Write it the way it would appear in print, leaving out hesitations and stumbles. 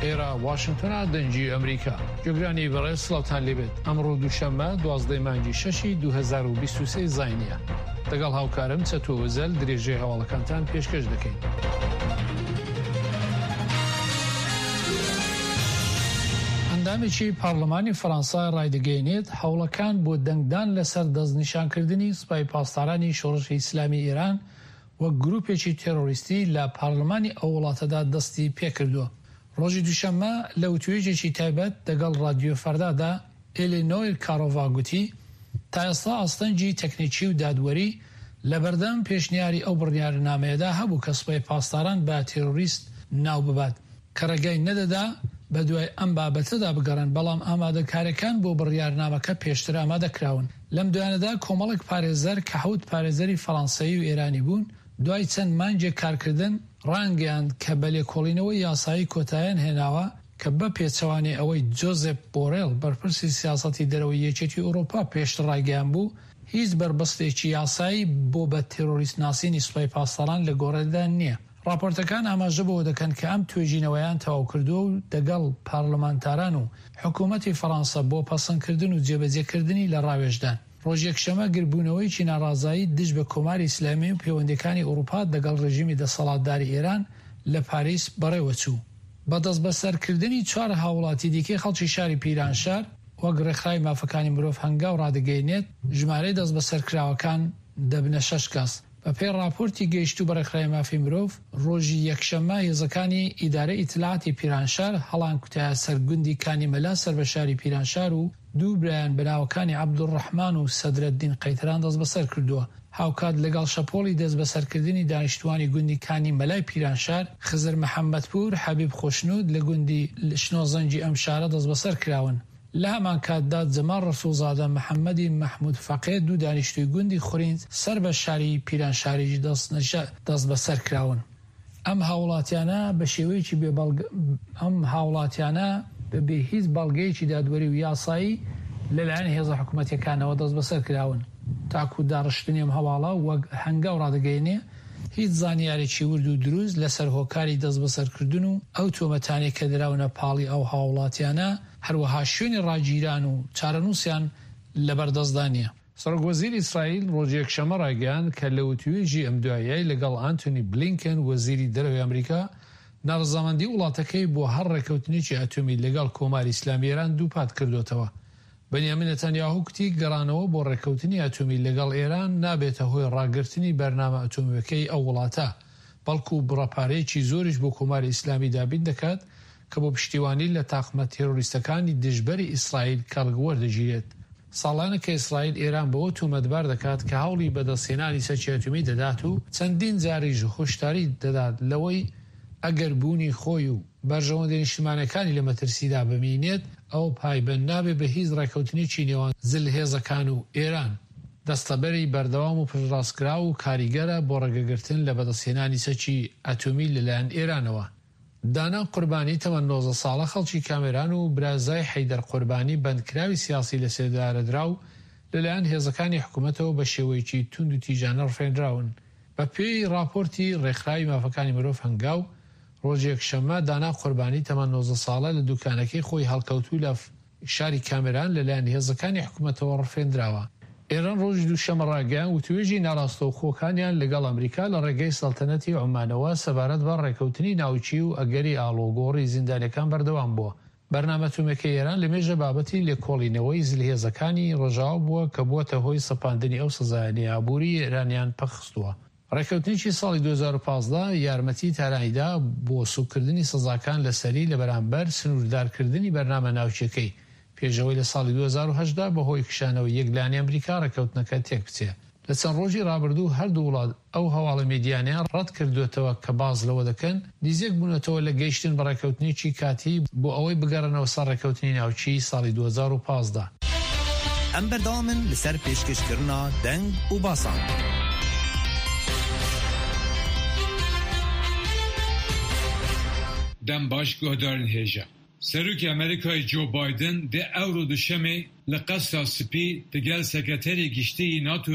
ئێرە واشنتۆنە دەنگی ئەمریکا. گوێگرانی بەڕێز سڵاوتان لێبێت ئەمڕۆ دووشەممە دوازدەی مانگی شەشی 2023 زاینیە لەگەڵ هاوکارم چەتۆ ئۆزەل درێژەی هەواڵەکانتان پێشکەش دەکەین. ئەندامێکی پارلمانی فەرەنسا ڕایدەگەیەنێت هەوڵەکان بۆ دەنگدان لەسەر دەستنیشانکردنی سوپای پاسدارانی شۆڕشی ئیسلامی ئێران وەک گروپێکی تێرۆریستی لە پارلمانی ئەو وڵاتەدا دەستی پێکردووە. ڕۆژی دووشەممە لە وتوێژێکی تایبەت دەگەڵ ڕادیۆ فەردادا ئێلینۆیر کارۆڤا گوتی تا ئێستا ئاستەنگی تەکنیکی و دادوەری لەبەردەم پێشنیاری ئەو بڕیارنامەیەدا هەبوو کە سوپای پاسداران بە تێرۆریست ناو ببات کە ڕێگای نەدەدا بەدوای ئەم بابەتەدا بگەڕێن، بەڵام ئامادەکاریەکان بۆ بڕیارنامەکە پێشتر ئامادەکراون. لەم دوایانەدا کۆمەڵێک پارێزەر کە حەوت پارێزەری فەڕانسەیی و ئێرانی بوون، دوای چەند مانگێک کارکردن، ڕایانگەیاند کە بە لێکۆڵینەوەی یاسایی کۆتاییان هێناوە کە بە پێچەوانەی ئەوەی جۆزێپ بۆرێڵ بەرپرسی سیاسەتی دەرەوەی یەکێتی ئەوروپا پێشتر ڕایگەیانبوو، هیچ بەربەستێکی یاسایی بۆ بە تێرۆریست ناسینی سوپای پاسداران لە گۆڕێدا نییە. ڕاپۆرتەکان ئاماژە بەوە دەکەن کە ئەم توێژینەوەیان تەواوکردووە و دەگەڵ پارلمانتاران و حکوومەتی فەڕانسە بۆ پەسەندکردن و جێبەجێکردنی لە ڕاوێژدان. ڕۆژی یەکشەمە گربوونەوەیەکی ناڕازایی دژ بە کۆماری ئیسلامی و پێوەندییەکانی ئوڕووپا دەگەڵ ڕێژیمی دەسەڵاتداری ئێران لە پاریس بەڕێوە چوو. بە دەستبەسەرکردنی چوار هاووڵاتی دیکەی خەڵکی شاری پیرانشار، وەک ڕێکخراوی مافەکانی مرۆڤ هەنگاو ڕادەگەیەنێت، ژمارەی دەستبەسەرکراوەکان دەبنە شەش کەس. بەپێی ڕاپۆرتی گەیشتوو بە ڕێکخراوی مافی مرۆڤ، ڕۆژی یەکشەممە هێزەکانی ئیدارەی ئیتلاعاتی پیرانشار هەڵانکوتایە سەر گوندی کانی مەلا سەر بە شاری پیرانشار و دوو برایان بە ناوەکانی عەبدولڕەحمان و سەدرەدین قەیتەران دەستبەسەر کردووە. هاوکات لەگەڵ شەپۆڵی دەستبەسەرکردنی دانیشتووانی گوندی کانی مەلای پیرانشار، خزر محەممەدپوور، حەبیب خۆشنوود لە گوندی شنۆزەنگی ئەم شارە دەستبەسەر کراون. لە هەمانکاتدا جەماڵ ڕەسوڵزادە، محەممەدی مەحموود فەقێ دوو دانیشتووی گوندی خورینج سەر بە شاری پیرانشاریش دەستبەسەر کراون. ئەم هاووڵاتیانە بە شێوەیەکی بێ بەڵگە ئەم هاووڵاتیانە بە بێ هیچ بەڵگەیەکی دادوەری و یاسایی لەلایەن هێزە حکوومەتییەکانەوە دەستبەسەر کراون. تاکوو داڕشتنی ئەم هەواڵە وەک هەنگاو ڕادەگەیەنێ، هیچ زانیارێکی ورد و دروست لەسەر هۆکاری دەستبەسەرکردن و ئەو تۆمەتانەی کە دراونە پاڵی ئەو هاووڵاتیانە، هەروەها شوێنی ڕاگیران و چارەنووسیان لەبەردەستدا نییە. سەرۆک وەزیری ئیسرائیل ڕۆژی یەکشەممە ڕایگەیاند کە لە وتووێژی ئەم دواییەی لەگەڵ ئانتۆنی بلینکن وەزیری دەرەوەی ئەمریکا، ناڕەزامەندی وڵاتەکەی بۆ هەر ڕێککەوتنێکی ئەتۆمی لەگەڵ کۆماری ئیسلامی ئێران دووپات کردۆتەوە. بنیامین نەتانیاهۆ گوتی گەڕانەوە بۆ ڕێککەوتنی ئەتۆمی لەگەڵ ئێران نابێتە هۆی ڕاگرتنی بەرنامە ئەتۆمییەکەی ئەو وڵاتە، بەڵکو بڕە پارەیەکی زۆریش بۆ کۆماری ئیسلامی دابین دەکات کە بۆ پشتیوانی لە تاقمە تێرۆریستەکانی دژبەری ئیسرائیل کەڵک وەردەگیرێت. ساڵانە کە ئیسرائیل ئێران بەوە تۆمەتبار دەکات کە هەوڵی بەدەستهێنانی چەکی ئەتۆمی دەدات و چەندین جاریش هۆشداری دەدات لەوەی ئەگەر بوونی خۆی و بەرژەوەندیە نیشتمانیەکانی لە مەترسیدا بمینێت ئەوە پایبەند نابێت بە هیچ ڕێکەوتنێکی نێوان زلهێزەکان و ئێران. دەستەبەری بەردەوام و پشتڕاستکراو و کاریگەرە بۆ ڕێگەگرتن لە بەدەستهێنانی چەکی ئەتۆمی لەلایەن ئێرانەوە. دانا قوربانی تەمەن 19 ساڵە خەڵکی کامێران و برازای حەیدەر قوربانی بەندکراوی سیاسی لەسێدارەدراو لەلایەن هێزەکانی حکومەتەوە بە شێوەیەکی توندوتیژانە ڕفێنراون. بەپێی ڕاپۆرتی ڕێکخراوی مافەکانی مرۆڤ هەنگاو، ڕۆژی یەکشەممە دانا قوربانی تەمەن 19 ساڵە لە دوکانەکەی خۆی هەڵکەوتوو لە شاری کامێران لەلایەن هێزەکانی حکومەتەوە ڕفێندراوە. ئێران ڕۆژی دووشەممە ڕایگەیاند، وتوێژی ناڕاستەوخۆکانیان لەگەڵ ئەمریکا لە ڕێگەی سەڵتەنەتی عومانەوە سەبارەت بە ڕێککەوتنی ناوکی و ئەگەری ئاڵوگۆڕی زیندانیەکان بەردەوام بووە. بەرنامە ئەتۆمیەکەی ئێران لەمێژە بابەتی لێکۆڵینەوەی زلهێزەکانی ڕۆژاوا بووە کە بووەتە هۆی سەپاندنی ئەو سزایانەی ئابووری ئێرانیان پەکخستووە. ڕێککەوتنێکی ساڵی 2015 یارمەتی تارانی دا بۆ سووککردنی سزاکان لەسەری لە بەرامبەر سنووردارکردنی بەرنامە ناوکیەکەی، پێش ئەوەی لە ساڵی 2018 بەهۆی کشانەوەی یەک لایەنەی ئەمریکا ڕێککەوتنەکە تێکبچێ. لە چەند ڕۆژی ڕابردوو هەردوو وڵات ئەو هەواڵە میدیانەیان ڕەت کردووەتەوە کە باس لەوە دەکەن نیزیک بوونەتەوە لە گەیشتن بە ڕێککەوتنێکی کاتی بۆ ئەوەی بگەڕێنەوە سەر ڕێککەوتنی ناوکیی ساڵی 2015. ئەم بەردەوامن لەسەر پێشکەشکردنا دەنگ و باسان. دەم باش گۆهدارن هێژا. سەرۆکی ئەمەریکای جۆ بایدن دێ ئەورۆ دوشەمێ لە قەسرا سپی دگەل سکرتەری گشتیی ناتۆ.